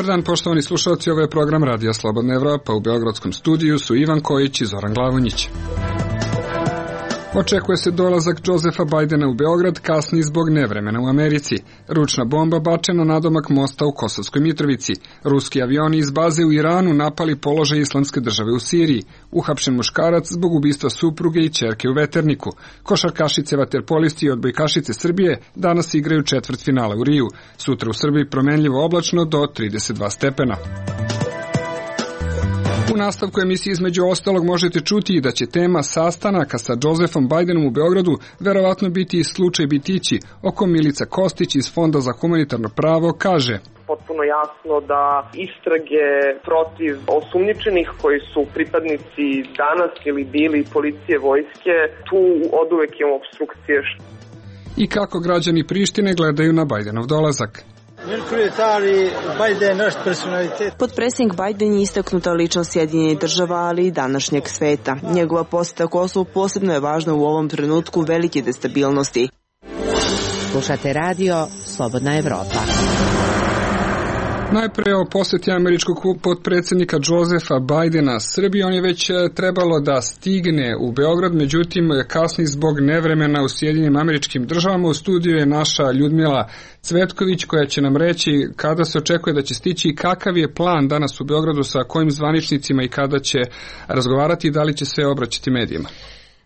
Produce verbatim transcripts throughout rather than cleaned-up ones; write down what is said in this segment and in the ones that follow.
dan, poštovani slušalci, ovo je program Radija Slobodna Evropa. U beogradskom studiju su Ivan Kojić i Zoran Glavonjić. Očekuje se dolazak Josefa Bajdena u Beograd, kasni zbog nevremena u Americi. Ručna bomba bačena nadomak mosta u Kosovskoj Mitrovici. Ruski avioni iz baze u Iranu napali položaj Islamske države u Siriji. Uhapšen muškarac zbog ubistva supruge i ćerke u Veterniku. Košarkašice vaterpolisti i odbojkašice Srbije danas igraju četvrtfinale u Riju. Sutra u Srbiji promenljivo oblačno do trideset dva stepena. U nastavku emisije između ostalog možete čuti i da će tema sastanaka sa Josefom Bajdenom u Beogradu verovatno biti i slučaj Bitići, o kom Milica Kostić iz Fonda za humanitarno pravo kaže: potpuno jasno da istrage protiv osumnjičenih koji su pripadnici danas ili bili policije, vojske, tu oduvek imamo obstrukcije. I kako građani Prištine gledaju na Bajdenov dolazak. Potpredsjednik Bajden je istaknuta ličnost Sjedinjenih država, ali i današnjeg sveta. Njegova poseta Kosovu posebno je važna u ovom trenutku velike destabilnosti. Slušate radio Slobodna Evropa. Najpre o poseti američkog potpredsjednika Josefa Bajdena Srbiji. On je već trebalo da stigne u Beograd, međutim kasni zbog nevremena u Sjedinjenim Američkim Državama. U studiju je naša Ljudmila Cvetković koja će nam reći kada se očekuje da će stići i kakav je plan danas u Beogradu, sa kojim zvaničnicima i kada će razgovarati i da li će se obraćati medijima.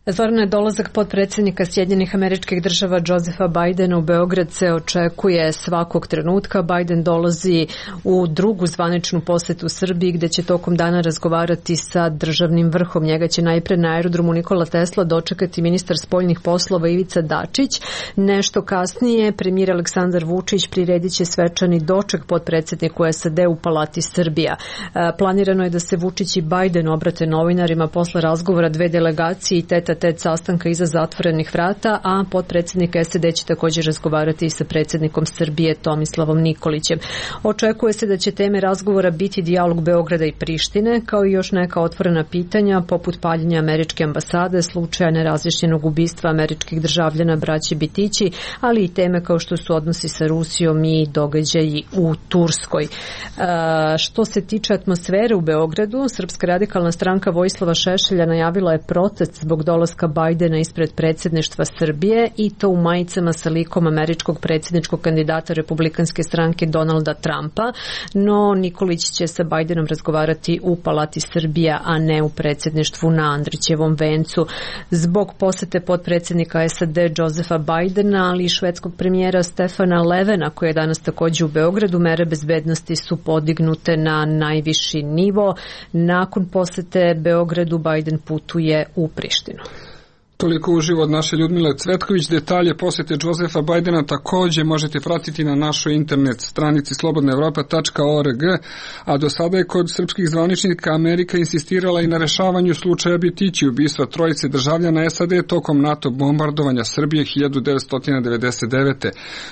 Zorane, dolazak potpredsjednika Sjedinjenih Američkih Država Josefa Bajdena u Beograd se očekuje svakog trenutka. Bajden dolazi u drugu zvaničnu posetu Srbiji gde će tokom dana razgovarati sa državnim vrhom. Njega će najpre na aerodromu Nikola Tesla dočekati ministar spoljnih poslova Ivica Dačić. Nešto kasnije premijer Aleksandar Vučić priredit će svečani doček potpredsjedniku S A D u Palati Srbija. Planirano je da se Vučić i Bajden obrate novinarima posle razgovora dve delegacije i teta tet sastanka iza zatvorenih vrata, a potpredsjednik S A D će također razgovarati i sa predsjednikom Srbije Tomislavom Nikolićem. Očekuje se da će teme razgovora biti dijalog Beograda i Prištine, kao i još neka otvorena pitanja poput paljenja američke ambasade, slučaja nerazjašnjenog ubistva američkih državljana braće Bitići, ali i teme kao što su odnosi sa Rusijom i događaji u Turskoj. E, što se tiče atmosfere u Beogradu, Srpska radikalna stranka Vojislava Šešelja najavila je protest zbog dolaska Bajdena ispred predsjedništva Srbije, i to u majicama sa likom američkog predsjedničkog kandidata republikanske stranke Donalda Trumpa, no Nikolić će sa Bajdenom razgovarati u Palati Srbija, a ne u predsjedništvu na Andrićevom vencu. Zbog posete potpredsjednika S A D Josefa Bajdena, ali i švedskog premijera Stefana Levena, koji je danas također u Beogradu, mere bezbednosti su podignute na najviši nivo. Nakon posete Beogradu Bajden putuje u Prištinu. Toliko uživo od naše Ljudmile Cvetković. Detalje posete Josefa Bajdena također možete pratiti na našoj internet stranici slobodna evropa tačka org, a do sada je kod srpskih zvaničnika Amerika insistirala i na rešavanju slučaja Bitići, ubistva trojice državljana S A D tokom NATO bombardovanja Srbije hiljadu devetsto devedeset devete.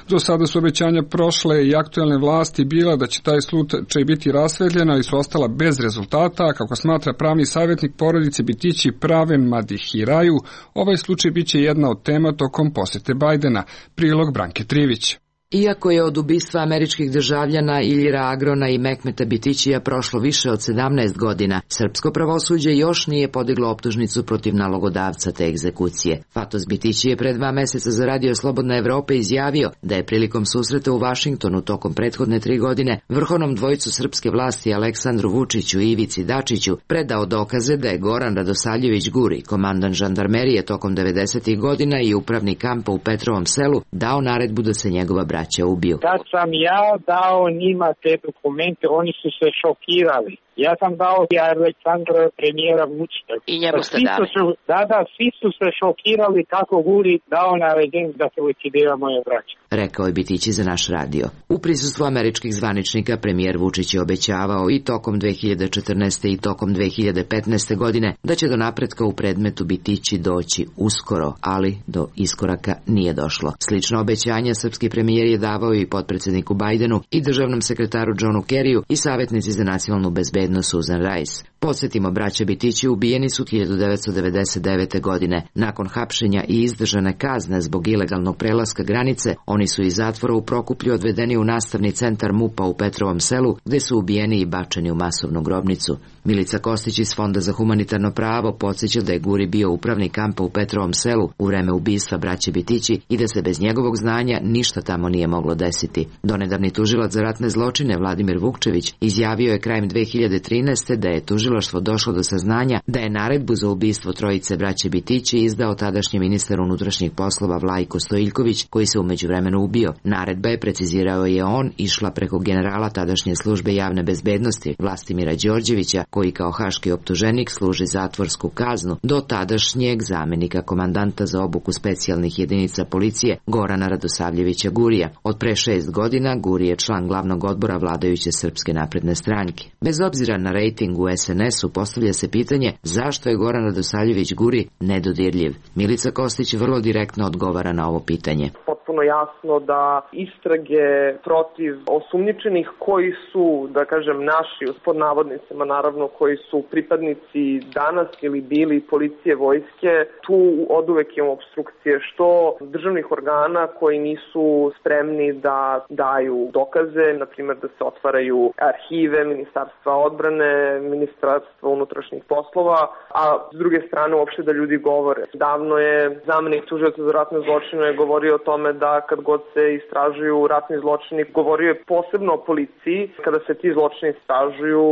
Do sada su obećanja prošle i aktuelne vlasti bila da će taj slučaj biti rasvetljen, ali su ostala bez rezultata, a kako smatra pravni savjetnik porodice Bitići Praven Madihiraju, ovaj slučaj biće jedna od tema tokom posete Bajdena. Prilog Branke Trivić. Iako je od ubistva američkih državljana Iljira Agrona i Mehmeta Bitićija prošlo više od sedamnaest godina, srpsko pravosuđe još nije podiglo optužnicu protiv nalogodavca te egzekucije. Fatos Bitići je pre dva meseca za Radio Slobodna Evropa izjavio da je prilikom susreta u Vašingtonu tokom prethodne tri godine vrhovnom dvojicu srpske vlasti Aleksandru Vučiću i Ivici Dačiću predao dokaze da je Goran Radosavljević Guri, komandant žandarmerije tokom devedesetih godina i upravnik kampa u Petrovom Selu, dao naredbu da se njegova braća ubiju. Kad sam ja dao njima te dokumente, oni su se šokirali. Ja sam dao i Aleksandra premijera Vučića. I njemu ste dali. Su, da, da, svi su se šokirali kako Guri dao naređenje da se likvidira moje braće. Rekao je Bitići za naš radio. U prisustvu američkih zvaničnika premijer Vučić je obećavao i tokom dve hiljade četrnaeste. i tokom dve hiljade petnaeste. godine da će do napretka u predmetu Bitići doći uskoro, ali do iskoraka nije došlo. Slično obećanje srpski premijer je davao i potpredsjedniku Bajdenu i državnom sekretaru Johnu Kerryu i savjetnici za nacionalnu bezbednost Susan Rice. Podsjetimo, braća Bitići ubijeni su hiljadu devetsto devedeset devete. godine. Nakon hapšenja i izdržane kazne zbog ilegalnog prelaska granice, oni su iz zatvora u Prokuplju odvedeni u nastavni centar MUP-a u Petrovom selu, gde su ubijeni i bačeni u masovnu grobnicu. Milica Kostić iz Fonda za humanitarno pravo podsjeća da je Guri bio upravnik kampa u Petrovom selu u vreme ubistva braće Bitići i da se bez njegovog znanja ništa tamo nije moglo desiti. Donedavni tužilac za ratne zločine Vladimir Vukčević izjavio je krajem dve hiljade trinaeste. da je tužilaštvo došlo do saznanja da je naredbu za ubistvo trojice braće Bitići izdao tadašnji ministar unutrašnjih poslova Vlajko Stojiljković, koji se u međuvremenu ubio. Naredba je, precizirao je on, išla preko generala tadašnje službe javne bezbednosti Vlastimira Đorđevića, koji kao haški optuženik služi zatvorsku kaznu, do tadašnjeg zamenika komandanta za obuku specijalnih jedinica policije Gorana Radosavljevića Gurija. Od pre šest godina Guri je član glavnog odbora vladajuće Srpske napredne stranke. Bez obzira na rejting u es en esu, postavlja se pitanje zašto je Goran Radosavljević Guri nedodirljiv. Milica Kostić vrlo direktno odgovara na ovo pitanje. Potpuno jasno da istrage protiv osumnjičenih koji su, da kažem, naši, pod navodnicima naravno, koji su pripadnici danas ili bili policije, vojske, tu oduvek imamo obstrukcije, što državnih organa koji nisu spremni da daju dokaze, na primjer da se otvaraju arhive Ministarstva odbrane, Ministarstva unutrašnjih poslova, a s druge strane uopšte da ljudi govore. Davno je zamenik tužioca za ratne zločine govorio o tome da kad god se istražuju ratni zločini, govorio je posebno o policiji, kada se ti zločini istražuju,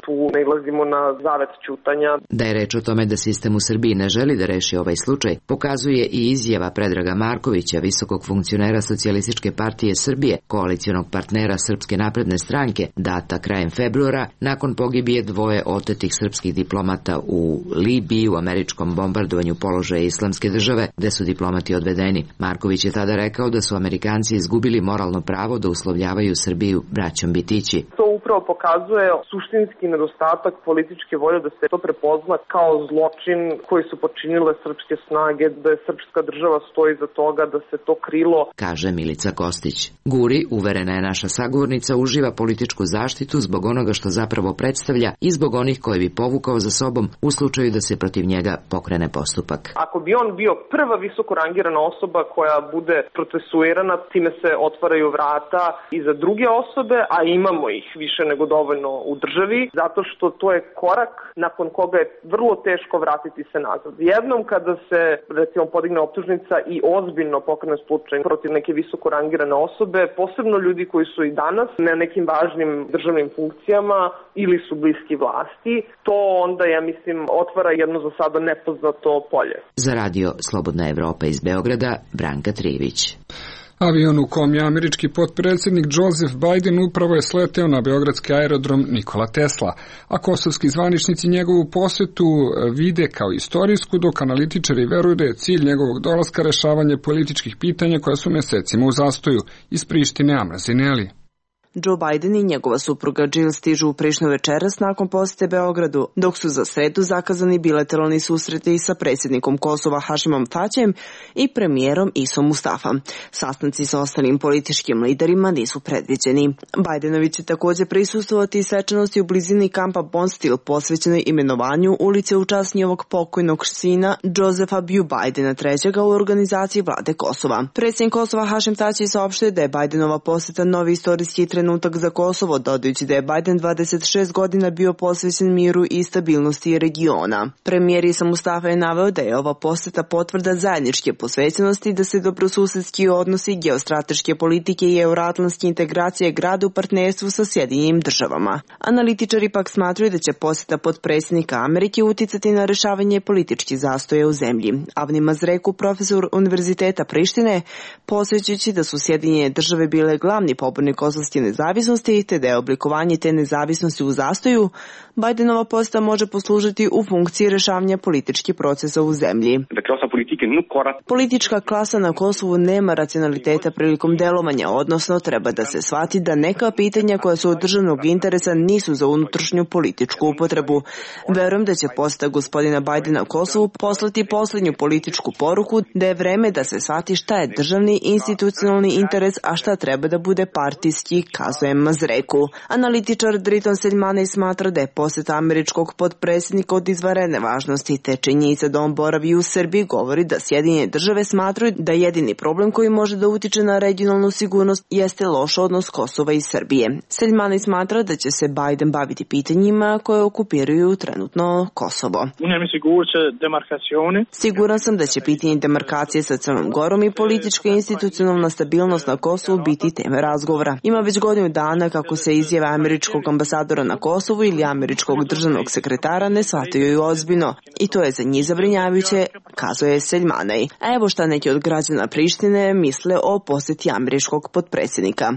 tu nailazimo na zavet ćutanja. Da je reč o tome da sistem u Srbiji ne želi da reši ovaj slučaj, pokazuje i izjava Predraga Markovića, visokog funkcionera Socijalističke partije Srbije, koalicionog partnera Srpske napredne stranke, data krajem februara, nakon pogibije dvoje otetih srpskih diplomata u Libiji u američkom bombardovanju položaja Islamske države, gde su diplomati odvedeni. Marković je tada rekao da su Amerikanci izgubili moralno pravo da uslovljavaju Srbiju braćom Bitići. To upravo pokazuje suštinski nedostatak političke volje da se to prepozna kao zločin koji su počinile srpske snage, da je srpska država stoji za toga, da se to krilo, kaže Milica Kostić. Guri, uverena je naša sagovornica, uživa političku zaštitu zbog onoga što zapravo predstavlja i zbog onih koje bi povukao za sobom u slučaju da se protiv njega pokrene postupak. Ako bi on bio prva visoko rangirana osoba koja bude procesuirana, time se otvaraju vrata i za druge osobe, a imamo ih više nego dovoljno u državi, zato što to je korak nakon koga je vrlo teško vratiti se nazad. Jednom kada se, recimo, podigne optužnica i ozbiljno pokrene slučaj protiv neke visoko rangirane osobe, posebno ljudi koji su i danas na nekim važnim državnim funkcijama ili su bliski vlasti, to onda, ja mislim, otvara jedno za sada nepoznato polje. Za radio Slobodna Evropa iz Beograda, Branka Trivić. Avion u kom je američki potpredsjednik Joseph Biden upravo je sleteo na beogradski aerodrom Nikola Tesla, a kosovski zvaničnici njegovu posjetu vide kao istorijsku, dok analitičari veruju da je cilj njegovog dolaska rešavanje političkih pitanja koja su mesecima u zastoju. Iz Prištine, Amra Zineli. Joe Biden i njegova supruga Jill stižu u Prištinu večeras nakon posete Beogradu, dok su za sredu zakazani bilateralni susreti sa predsjednikom Kosova Hašimom Tačijem i premijerom Isom Mustafa. Sastanci sa ostalim političkim liderima nisu predviđeni. Bidenovi će također prisustvovati svečanosti u blizini kampa Bonstil posvećenoj imenovanju ulice u čast njihovog pokojnog sina Josefa B. Bidena trećega u organizaciji vlade Kosova. Predsjednik Kosova Hašim Tači saopštio da je Bidenova poseta novi istorijski trenutak za Kosovo, dodajući da je Biden dvadeset šest godina bio posvećen miru i stabilnosti regiona. Premijer Isa Mustafa je naveo da je ova poseta potvrda zajedničke posvećenosti, da se dobrosusedski odnosi, geostrateške politike i euroatlantske integracije grade u partnerstvu sa Sjedinjenim državama. Analitičari pak smatruju da će poseta potpredsjednika Amerike uticati na rešavanje političkih zastoja u zemlji. Avni Mazreku, profesor Univerziteta Prištine, posvećujući da su Sjedinjene države bile glavni pobornik kosovske nezavisnosti, te da je oblikovanje te nezavisnosti u zastoju, Bidenova poseta može poslužiti u funkciji rešavanja političkih procesa u zemlji. Politička klasa na Kosovu nema racionaliteta prilikom delovanja, odnosno treba da se shvati da neka pitanja koja su od državnog interesa nisu za unutrašnju političku upotrebu. Verujem da će poseta gospodina Bidena Kosovu poslati poslednju političku poruku da je vreme da se shvati šta je državni institucionalni interes, a šta treba da bude partijski kazuje Mazreku. Analitičar Driton Seljmanej smatra da je poseta američkog potpredsjednika od izvanredne važnosti, te činjenica da on boravi u Srbiji govori da Sjedinjene države smatraju da jedini problem koji može da utiče na regionalnu sigurnost jeste loš odnos Kosova i Srbije. Seljmanej smatra da će se Biden baviti pitanjima koje okupiraju trenutno Kosovo. Siguran sam da će pitanje demarkacije sa Crnom Gorom i politička i institucionalna stabilnost na Kosovu biti teme razgovora. Ima već godinu dana kako se izjave američkog ambasadora na Kosovu ili američkog državnog sekretara ne shvataju ozbiljno i to je za njih zabrinjavajuće, kazuje Seljmanej. A evo šta neki od građana Prištine misle o posjeti američkog potpredsjednika.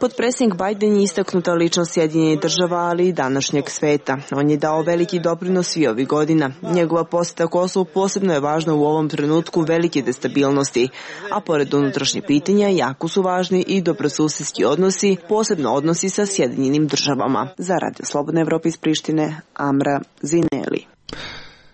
Potpredsjednik Biden je istaknuta ličnost Sjedinjenih država, ali i današnjeg sveta. On je dao veliki doprinos svi ovih godina. Njegova posjeta Kosovu posebno je važna u ovom trenutku velike destabilnosti, a pored unutrašnjih pitanja jako su važni i dobrosusedski odnosi, posebno odnosi sa Sjedinjenim državama. Za Radio Slobodne Evrope iz Prištine, Amra Zineli.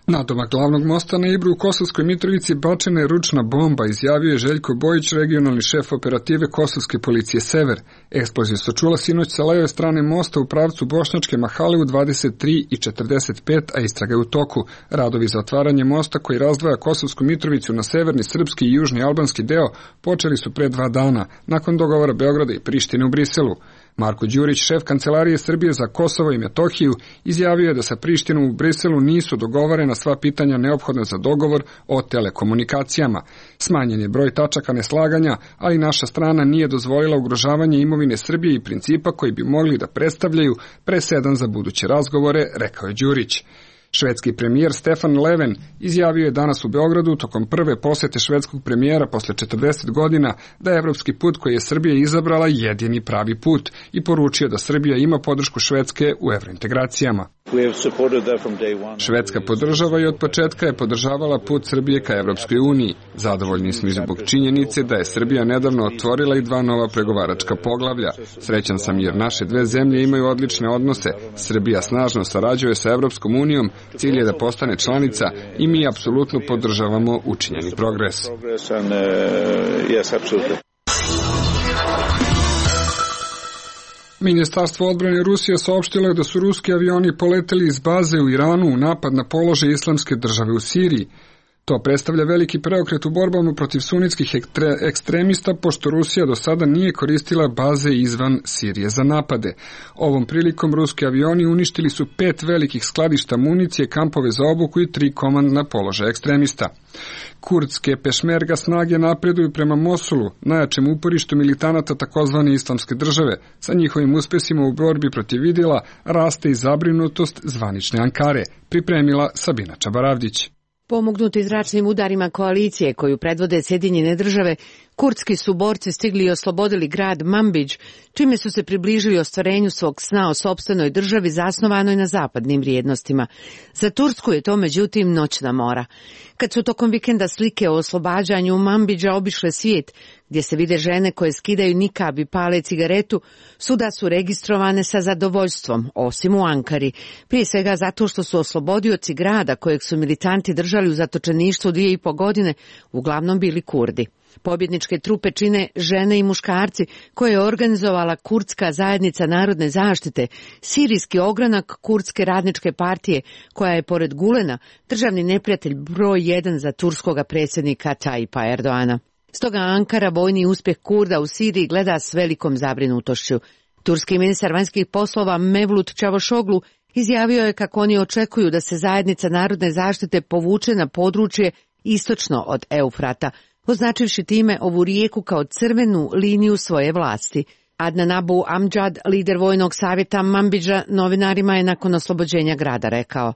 Nadomak glavnog mosta na Ibru u Kosovskoj Mitrovici bačena je ručna bomba, izjavio je Željko Bojić, regionalni šef operative Kosovske policije Sever. Eksplozija se čula sinoć sa leve strane mosta u pravcu Bošnjačke Mahale u dvadeset tri i četrdeset pet, a istraga je u toku. Radovi za otvaranje mosta koji razdvaja Kosovsku Mitrovicu na severni srpski i južni albanski deo počeli su pre dva dana, nakon dogovora Beograda i Prištine u Briselu. Marko Đurić, šef Kancelarije Srbije za Kosovo i Metohiju, izjavio je da sa Prištinom u Briselu nisu dogovorena sva pitanja neophodna za dogovor o telekomunikacijama. Smanjen je broj tačaka neslaganja, ali naša strana nije dozvolila ugrožavanje imovine Srbije i principa koji bi mogli da predstavljaju presedan za buduće razgovore, rekao je Đurić. Švedski premijer Stefan Löfven izjavio je danas u Beogradu tokom prve posete švedskog premijera posle četrdeset godina da je evropski put koji je Srbija izabrala jedini pravi put i poručio da Srbija ima podršku Švedske u evrointegracijama. Švedska podržava i od početka je podržavala put Srbije ka Evropskoj uniji. Zadovoljni smo i zbog činjenice da je Srbija nedavno otvorila i dva nova pregovaračka poglavlja. Srećan sam jer naše dve zemlje imaju odlične odnose. Srbija snažno sarađuje sa Evropskom unijom, cilj je da postane članica i mi apsolutno podržavamo učinjeni progres. Ministarstvo odbrane Rusije saopštilo je da su ruski avioni poleteli iz baze u Iranu u napad na položaj Islamske države u Siriji. To predstavlja veliki preokret u borbama protiv sunitskih ekstremista, pošto Rusija do sada nije koristila baze izvan Sirije za napade. Ovom prilikom ruski avioni uništili su pet velikih skladišta municije, kampove za obuku i tri komandna položaja ekstremista. Kurdske pešmerga snage napreduju prema Mosulu, najjačem uporištu militanata takozvane Islamske države. Sa njihovim uspesima u borbi protiv Idila raste i zabrinutost zvanične Ankare, pripremila Sabina Čabaravdić. Pomognuti zračnim udarima koalicije koju predvode Sjedinjene države, kurdski su borci stigli i oslobodili grad Manbidž, čime su se približili ostvarenju svog sna o sopstvenoj državi zasnovanoj na zapadnim vrijednostima. Za Tursku je to međutim noćna mora. Kad su tokom vikenda slike o oslobađanju Manbidža obišle svijet, gdje se vide žene koje skidaju nikab i pale cigaretu, svuda su registrovane sa zadovoljstvom, osim u Ankari. Prije svega zato što su oslobodioci grada kojeg su militanti držali u zatočeništvu dvije i po godine, uglavnom bili Kurdi. Pobjedničke trupe čine žene i muškarci koje je organizovala Kurdska zajednica narodne zaštite, sirijski ogranak Kurdske radničke partije, koja je pored Gulena državni neprijatelj broj jedan za turskoga predsjednika Tayyipa Erdoana. Stoga Ankara vojni uspjeh Kurda u Siriji gleda s velikom zabrinutošću. Turski ministar vanjskih poslova Mevlut Čavošoglu izjavio je kako oni očekuju da se zajednica narodne zaštite povuče na područje istočno od Eufrata, označivši time ovu rijeku kao crvenu liniju svoje vlasti. Adnan Abu Amjad, lider vojnog savjeta Manbidža, novinarima je nakon oslobođenja grada rekao: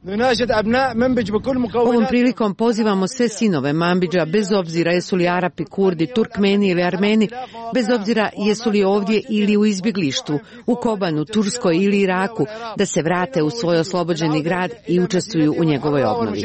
Ovom prilikom pozivamo sve sinove Manbidža, bez obzira jesu li Arapi, Kurdi, Turkmeni ili Armeni, bez obzira jesu li ovdje ili u izbjeglištvu, u Kobanu, Turskoj ili Iraku, da se vrate u svoj oslobođeni grad i učestvuju u njegovoj obnovi.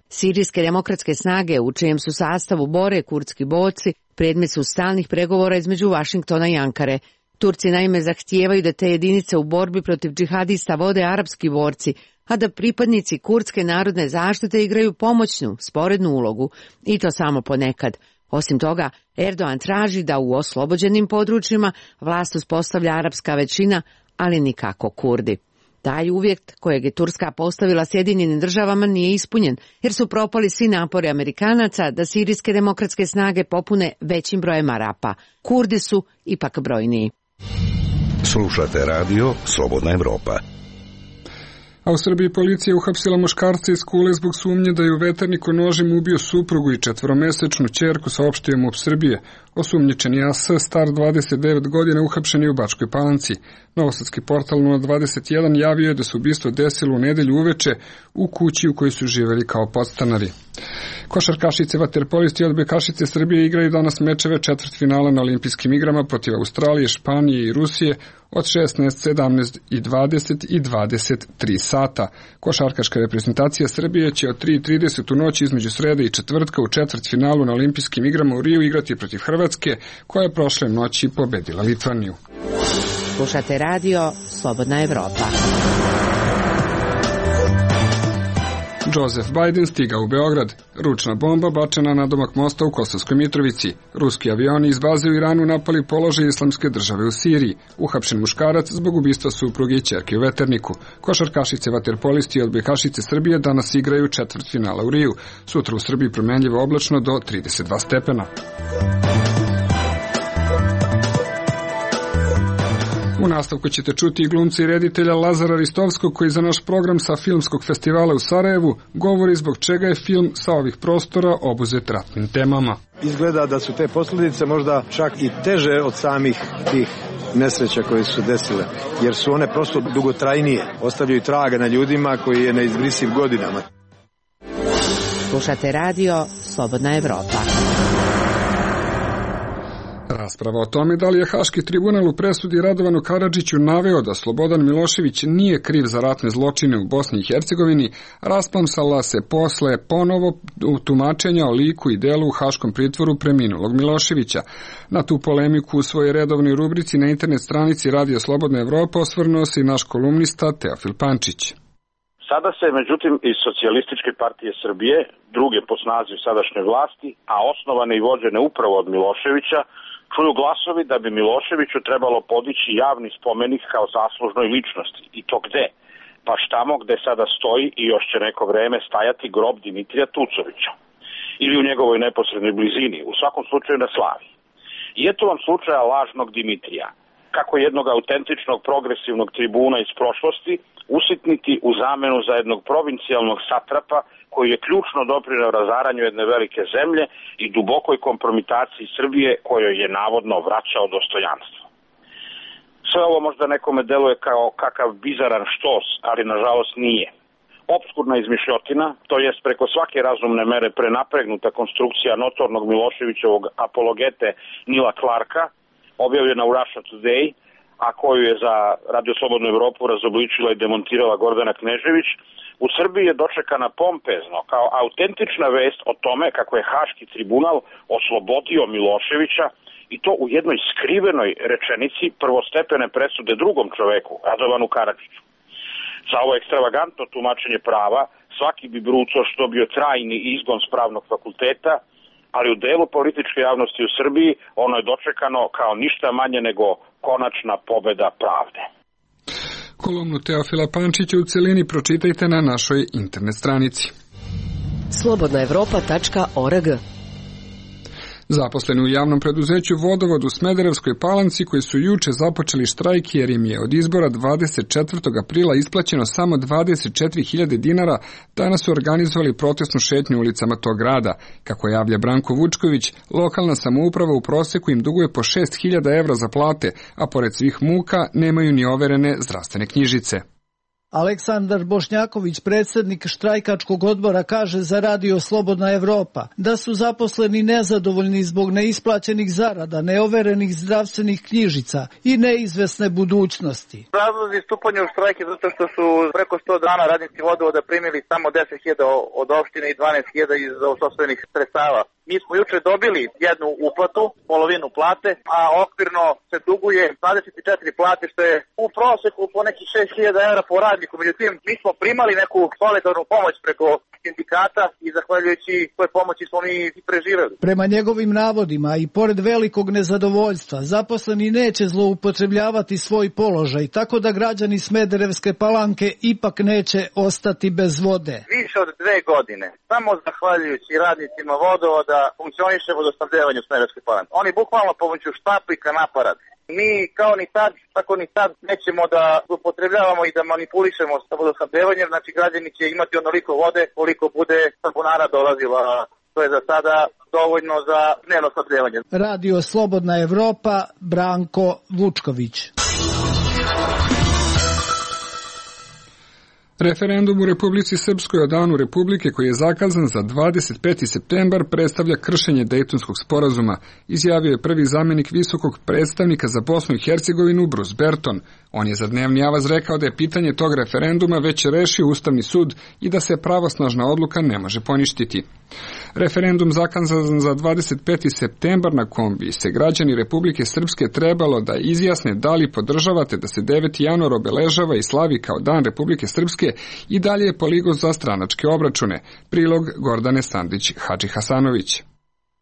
Sirijske demokratske snage, u čijem su sastavu bore kurdski borci, predmet su stalnih pregovora između Vašingtona i Ankare. Turci naime zahtijevaju da te jedinice u borbi protiv džihadista vode arapski borci, a da pripadnici Kurdske narodne zaštite igraju pomoćnu, sporednu ulogu, i to samo ponekad. Osim toga, Erdogan traži da u oslobođenim područjima vlast uspostavlja arapska većina, ali nikako Kurdi. Taj uvjet kojeg je Turska postavila Sjedinjenim državama nije ispunjen, jer su propali svi napori Amerikanaca da sirijske demokratske snage popune većim brojem Arapa. Kurdi su ipak brojniji. Slušate radio Slobodna Evropa. A u Srbiji policija uhapsila muškarca iz Kule zbog sumnje da je u Veterniku nožem ubio suprugu i četvoromesečnu ćerku, saopštio MUP Srbije. Osumnjičeni A S, star dvadeset devet godina, uhapšen je u Bačkoj Palanci. Novosadski portal nula dvadeset jedan javio je da se ubistvo desilo u nedelju uveče u kući u kojoj su živeli kao podstanari. Košarkašice vaterpolisti odbojkašice Srbije igraju danas mečeve četvrtfinala na olimpijskim igrama protiv Australije, Španije i Rusije od šesnaest, sedamnaest i dvadeset i dvadeset tri sata. Košarkaška reprezentacija Srbije će od tri i trideset u noći između srede i četvrtka u četvrtfinalu na olimpijskim igrama u Riju igrati protiv Hrvatske, koja je prošle noći pobedila Litvaniju. Slušate radio Slobodna Evropa. Joseph Biden stiga u Beograd. Ručna bomba bačena na domak mosta u Kosovskoj Mitrovici. Ruski avioni iz baze u Iranu napali položaj Islamske države u Siriji. Uhapšen muškarac zbog ubistva supruge i ćerke u Veterniku. Košarkašice vaterpolisti i odbojkašice Srbije danas igraju četvrtfinala u Riju. Sutra u Srbiji promenljivo oblačno do trideset dva stepena. U nastavku ćete čuti i glumca i reditelja Lazara Ristovskog, koji za naš program sa filmskog festivala u Sarajevu govori zbog čega je film sa ovih prostora obuzet ratnim temama. Izgleda da su te posljedice možda čak i teže od samih tih nesreća koje su se desile, jer su one prosto dugotrajnije, ostavljaju traga na ljudima koji je neizbrisiv godinama. Slušate radio Slobodna Evropa. Rasprava o tome da li je Haški tribunal u presudi Radovanu Karadžiću naveo da Slobodan Milošević nije kriv za ratne zločine u Bosni i Hercegovini rasplamsala se posle ponovo tumačenja o liku i delu u Haškom pritvoru preminulog Miloševića. Na tu polemiku u svojoj redovnoj rubrici na internet stranici Radio Slobodna Evropa osvrnuo se i naš kolumnista Teofil Pančić. Sada se, međutim, iz Socijalističke partije Srbije, druge po snazi u sadašnjoj vlasti, a osnovane i vođene upravo od Miloševića, čuju glasovi da bi Miloševiću trebalo podići javni spomenik kao zaslužnoj ličnosti. I to gde? Baš tamo gde sada stoji i još će neko vreme stajati grob Dimitrija Tucovića. Ili u njegovoj neposrednoj blizini, u svakom slučaju na Slavi. I eto vam slučaja lažnog Dimitrija. Kako jednog autentičnog progresivnog tribuna iz prošlosti usitniti u zamenu za jednog provincijalnog satrapa koji je ključno doprineo razaranju jedne velike zemlje i dubokoj kompromitaciji Srbije kojoj je navodno vraćao dostojanstvo. Sve ovo možda nekome deluje kao kakav bizaran štos, ali nažalost nije. Opskurna izmišljotina, to jest preko svake razumne mere prenapregnuta konstrukcija notornog Miloševićevog apologete Nila Clarka, objavljena u Russia Today, a koju je za Radio Slobodnu Evropu razobličila i demontirala Gordana Knežević, u Srbiji je dočekana pompezno kao autentična vest o tome kako je Haški tribunal oslobodio Miloševića i to u jednoj skrivenoj rečenici prvostepene presude drugom čoveku, Radovanu Karadžiću. Za ovo ekstravagantno tumačenje prava svaki bi brucoš dobio trajni izgon s pravnog fakulteta, ali u delu političke javnosti u Srbiji ono je dočekano kao ništa manje nego konačna pobeda pravde. Kolumnu Teofila Pančića u celini pročitajte na našoj internet stranici. slobodna evropa tačka org. Zaposleni u javnom preduzeću Vodovod u Smederevskoj Palanci, koji su juče započeli štrajk jer im je od izbora dvadeset četvrtog aprila isplaćeno samo dvadeset četiri hiljade dinara, danas su organizovali protestnu šetnju ulicama tog grada. Kako javlja Branko Vučković, lokalna samouprava u proseku im duguje po šest hiljada evra za plate, a pored svih muka nemaju ni overene zdravstvene knjižice. Aleksandar Bošnjaković, predsjednik štrajkačkog odbora, kaže za Radio Slobodna Evropa da su zaposleni nezadovoljni zbog neisplaćenih zarada, neoverenih zdravstvenih knjižica i neizvesne budućnosti. Razlozi stupanja u štrajk je zato što su preko sto dana radnici Vodovoda primili samo deset hiljada od opštine i dvanaest hiljada iz sopstvenih sredstava. Mi smo juče dobili jednu uplatu, polovinu plate, a okvirno se duguje dvadeset četiri plate, što je u proseku po nekih šest hiljada evra po radniku. Međutim, mi smo primali neku solidarnu pomoć preko sindikata i zahvaljujući toj pomoći smo mi i preživeli. Prema njegovim navodima i pored velikog nezadovoljstva, zaposleni neće zloupotrebljavati svoj položaj, tako da građani Smederevske Palanke ipak neće ostati bez vode. Više od dve godine, samo zahvaljujući radnicima vodovoda, funkcioniše vodosnabdevanje u Smederevskoj Palanci. Oni bukvalno pomoću štapika na aparat. Mi kao ni tad, tako ni tad nećemo da upotrebljavamo i da manipulišemo sa vodosnabdevanjem, znači građani će imati onoliko vode koliko bude sabunara dolazila. To je za sada dovoljno za dnevno snabdevanje. Radio Slobodna Evropa, Branko Vučković. Referendum u Republici Srpskoj o danu Republike koji je zakazan za dvadeset peti septembar predstavlja kršenje Dejtonskog sporazuma, izjavio je prvi zamjenik visokog predstavnika za Bosnu i Hercegovinu Bruce Berton. On je za Dnevni avaz rekao da je pitanje tog referenduma već rešio Ustavni sud i da se pravosnažna odluka ne može poništiti. Referendum zakazan za dvadeset peti septembar na kom bi se građani Republike Srpske trebalo da izjasne da li podržavate da se deveti januar obeležava i slavi kao Dan Republike Srpske i dalje je poligon za stranačke obračune. Prilog Gordane Sandić-Hadži Hasanović.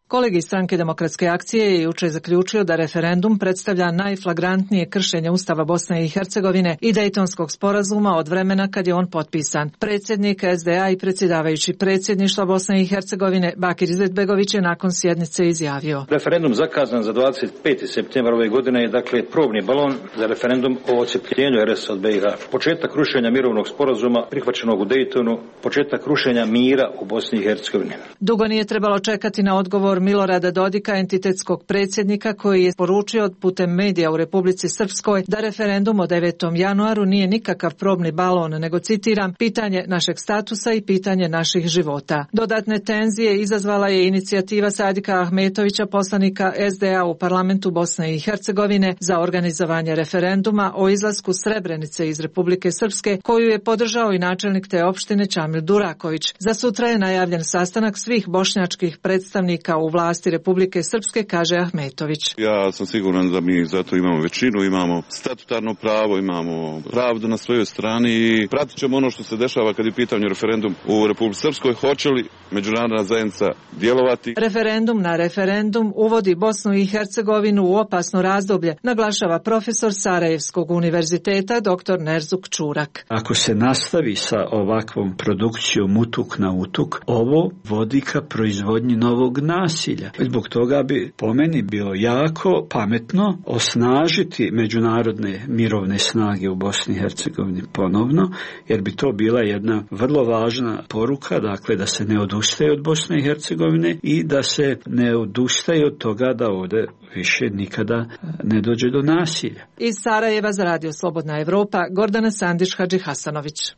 Kolegi Stranke demokratske akcije je juče zaključio da referendum predstavlja najflagrantnije kršenje Ustava Bosne i Hercegovine i Dejtonskog sporazuma od vremena kad je on potpisan. Predsjednik es de a i predsjedavajući predsjedništva Bosne i Hercegovine Bakir Izetbegović je nakon sjednice izjavio: Referendum zakazan za dvadeset peti septembar ove godine je dakle probni balon za referendum o odcepljenju er es od be i ha. Početak rušenja mirovnog sporazuma prihvaćenog u Dejtonu, početak rušenja mira u Bosni i Hercegovini. Dugo nije trebalo čekati na odgovor Milorada Dodika, entitetskog predsjednika, koji je poručio putem medija u Republici Srpskoj da referendum o devetom januaru nije nikakav probni balon, nego, citiram, pitanje našeg statusa i pitanje naših života. Dodatne tenzije izazvala je inicijativa Sadika Ahmetovića, poslanika es de a u parlamentu Bosne i Hercegovine, za organizovanje referenduma o izlasku Srebrenice iz Republike Srpske, koju je podržao i načelnik te opštine Čamil Duraković. Za sutra je najavljen sastanak svih bošnjačkih predstavnika u vlasti Republike Srpske, kaže Ahmetović. Ja sam siguran da mi zato imamo većinu, imamo statutarno pravo, imamo pravdu na svojoj strani i pratit ćemo ono što se dešava kad je pitanje referendum u Republici Srpskoj. Hoće li međunarodna zajednica djelovati? Referendum na referendum uvodi Bosnu i Hercegovinu u opasno razdoblje, naglašava profesor Sarajevskog univerziteta dr Nerzuk Čurak. Ako se nastavi sa ovakvom produkcijom utuk na utuk, ovo vodi ka proizvodnji novog nasilja. Zbog toga bi po meni bilo jako pametno osnažiti međunarodne mirovne snage u Bosni i Hercegovini ponovno, jer bi to bila jedna vrlo važna poruka, dakle da se ne odustaje od Bosne i Hercegovine i da se ne odustaje od toga da ovdje više nikada ne dođe do nasilja. Iz Sarajeva za Radio Slobodna Evropa, Gordana Sandić-Hadži Hasanović.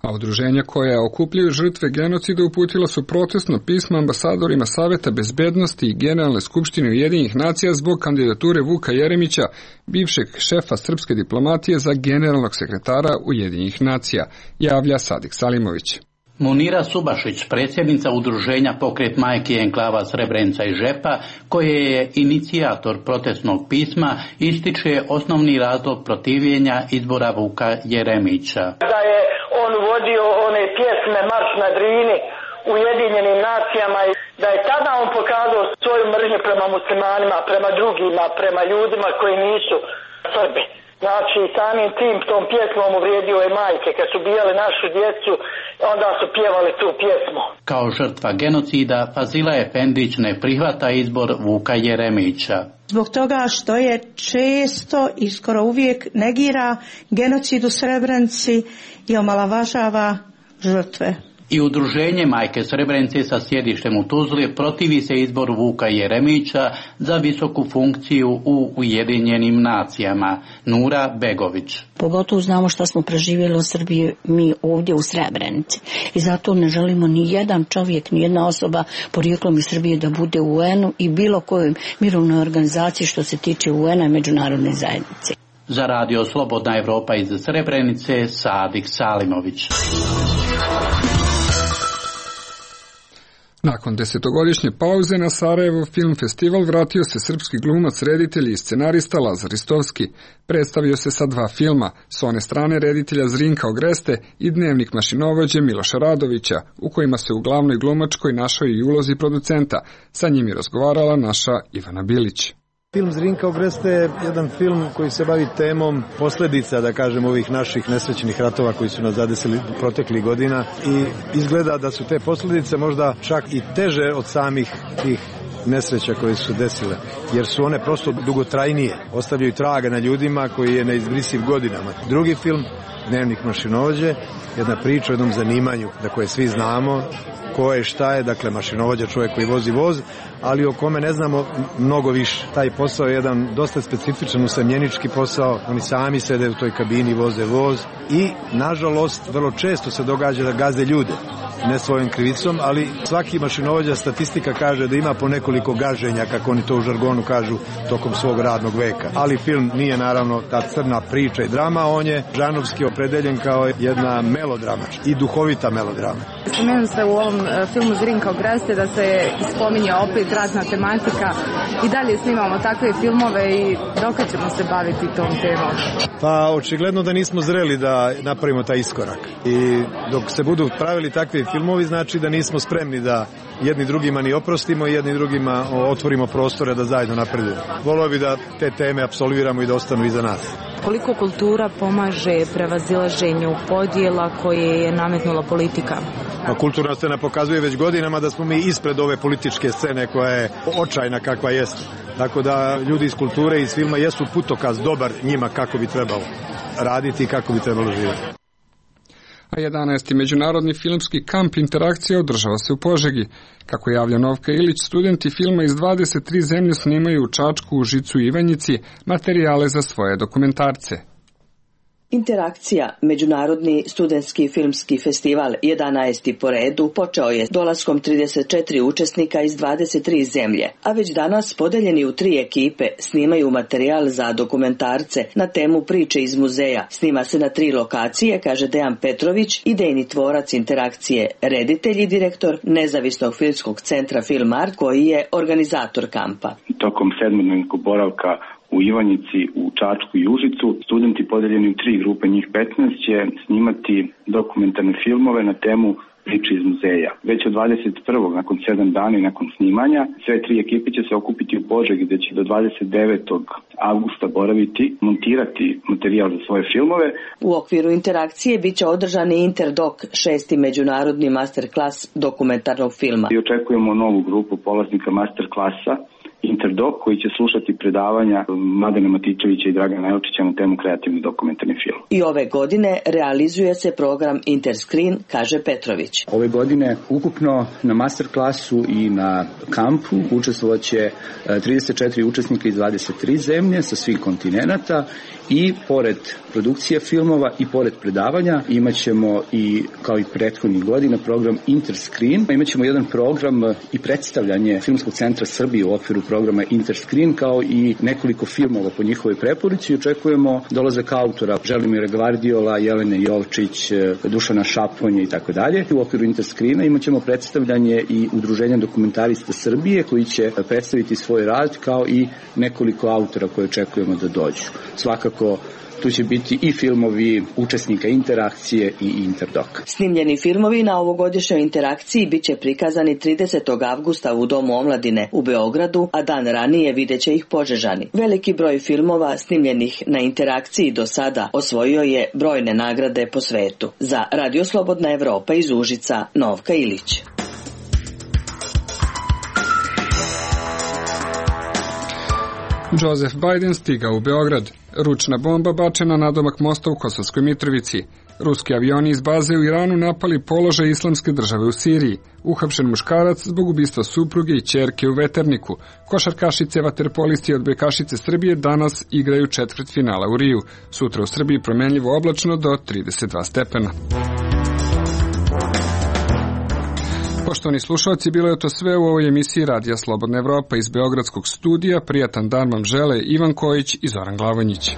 A udruženja koja okupljaju žrtve genocida uputila su protestno pismo ambasadorima Saveta bezbednosti i Generalne skupštine Ujedinjenih nacija zbog kandidature Vuka Jeremića, bivšeg šefa srpske diplomatije, za generalnog sekretara Ujedinjenih nacija, javlja Sadik Salimović. Munira Subašić, predsjednica udruženja Pokret majki enklava Srebrenica i Žepa, koje je inicijator protestnog pisma, ističe osnovni razlog protivljenja izbora Vuka Jeremića. Da je on vodio one pjesme Marš na Drini u Ujedinjenim nacijama i da je tada on pokazao svoju mržnju prema muslimanima, prema drugima, prema ljudima koji nisu Srbi. Znači, samim tim tom pjesmom uvrijedio je majke. Kad su bijale našu djecu, onda su pjevali tu pjesmu. Kao žrtva genocida, Fazila Efendić ne prihvata izbor Vuka Jeremića. Zbog toga što je često i skoro uvijek negira genocid u Srebrenici i omalovažava žrtve. I udruženje Majke Srebrenice sa sjedištem u Tuzli protivi se izboru Vuka Jeremića za visoku funkciju u Ujedinjenim nacijama. Nura Begović. Pogotovo znamo što smo preživjeli u Srbiji mi ovdje u Srebrenici. I zato ne želimo ni jedan čovjek, ni jedna osoba porijeklom iz Srbije da bude u u enu i bilo kojoj mirovnoj organizaciji što se tiče u ena i međunarodne zajednice. Za Radio Slobodna Evropa iz Srebrenice, Sadik Salimović. Nakon desetogodišnje pauze na Sarajevo Film Festival vratio se srpski glumac, reditelj i scenarista Lazar Ristovski. Predstavio se sa dva filma, s one strane reditelja Zrinka Ogreste i Dnevnik mašinovođe Miloša Radovića, u kojima se u glavnoj glumačkoj našao i ulozi producenta. Sa njim je razgovarala naša Ivana Bilić. Film Zrinka Ogreste je jedan film koji se bavi temom posljedica, da kažem, ovih naših nesrećnih ratova koji su nas zadesili proteklih godina i izgleda da su te posljedice možda čak i teže od samih tih nesreća koje su desile, jer su one prosto dugotrajnije, ostavljaju traga na ljudima koji je neizbrisiv godinama. Drugi film, Dnevnik mašinovođe, jedna priča o jednom zanimanju da koje svi znamo, ko je, šta je, dakle mašinovođa, čovjek koji vozi voz, ali o kome ne znamo mnogo više. Taj posao je jedan dosta specifičan usamljenički posao, oni sami sede u toj kabini, voze voz i nažalost vrlo često se događa da gazde ljude, ne svojom krivicom, ali svaki mašinovođa, statistika kaže da ima po nekoliko gaženja, kako oni to u žargonu kažu, tokom svog radnog veka. Ali film nije naravno ta crna priča i drama, on je žanrovski opredeljen kao jedna melodrama i duhovita melodrama. Spomenuo se u ovom filmu Zrinka Ogreste da se spominje opet ratna tematika i dalje snimamo takve filmove i dok ćemo se baviti tom temom? Pa očigledno da nismo zreli da napravimo taj iskorak i dok se budu pravili takvi filmovi znači da nismo spremni da jedni drugima ni oprostimo i jedni drugima otvorimo prostore da zajedno napredujemo. Volio bi da te teme apsolviramo i da ostanu iza nas. Koliko kultura pomaže prevazilaženju podjela koje je nametnula politika? Pa kulturna scena pokazuje već godinama da smo mi ispred ove političke scene koja je očajna kakva jeste. Tako da ljudi iz kulture i iz filma jesu putokaz dobar njima kako bi trebalo raditi i kako bi trebalo živjeti. A jedanaesti međunarodni filmski kamp interakcija održava se u Požegi. Kako javlja Novka Ilić, studenti filma iz dvadeset tri zemlje snimaju u Čačku, Užicu i Ivanjici materijale za svoje dokumentarce. Interakcija, međunarodni studentski filmski festival, jedanaesti po redu, počeo je dolaskom trideset četiri učesnika iz dvadeset tri zemlje, a već danas podeljeni u tri ekipe snimaju materijal za dokumentarce na temu priče iz muzeja. Snima se na tri lokacije, kaže Dejan Petrović, idejni tvorac interakcije, reditelj i direktor nezavisnog filmskog centra Film Art, koji je organizator kampa. Tokom sedmodnevnog boravka u Ivanjici, u Čačku i Užicu, studenti podeljeni u tri grupe, njih petnaest, će snimati dokumentarne filmove na temu priče iz muzeja. Već od dvadeset prvog nakon sedam dana i nakon snimanja, sve tri ekipe će se okupiti u Požegi, gde će do dvadeset devetog avgusta boraviti, montirati materijal za svoje filmove. U okviru interakcije bit će održan i Interdok, šesti međunarodni masterklas dokumentarnog filma. I očekujemo novu grupu polaznika masterklasa Interdok, koji će slušati predavanja Mladena Matičevića i Dragana Elčića na temu kreativni dokumentarni film. I ove godine realizuje se program Interscreen, kaže Petrović. Ove godine ukupno na masterklasu i na kampu učestvovat će trideset četiri učesnika iz dvadeset tri zemlje sa svih kontinenata i pored produkcije filmova i pored predavanja imat ćemo i, kao i prethodnih godina, program Interscreen. Imat ćemo jedan program i predstavljanje Filmskog centra Srbije u okviru programa Interscreen, kao i nekoliko filmova po njihovoj preporuci. Očekujemo dolazak autora Želimira Gvardiola, Jelene Jovčić, Dušana Šaponja i tako dalje. U okviru Interscreena imat ćemo predstavljanje i Udruženja dokumentarista Srbije, koji će predstaviti svoj rad, kao i nekoliko autora koje očekujemo da dođu. Svakako tu će biti i filmovi učesnika interakcije i Interdok. Snimljeni filmovi na ovogodišnjoj interakciji bit će prikazani tridesetog avgusta u Domu omladine u Beogradu, a dan ranije vidjet će ih Požežani. Veliki broj filmova snimljenih na interakciji do sada osvojio je brojne nagrade po svetu. Za Radio Slobodna Evropa iz Užica, Novka Ilić. Joseph Biden stigao u Beograd. Ručna bomba bačena na domak mosta u Kosovskoj Mitrovici. Ruski avioni iz baze u Iranu napali položaj Islamske države u Siriji. Uhapšen muškarac zbog ubistva supruge i ćerke u Veterniku. Košarkašice, vaterpolisti i odbojkašice Srbije danas igraju četvrtfinala u Riju. Sutra u Srbiji promenljivo oblačno do trideset dva stepena. Poštovani slušalci, bilo je to sve u ovoj emisiji Radija Slobodna Evropa iz Beogradskog studija. Prijatan dan vam žele Ivan Kojić i Zoran Glavonjić.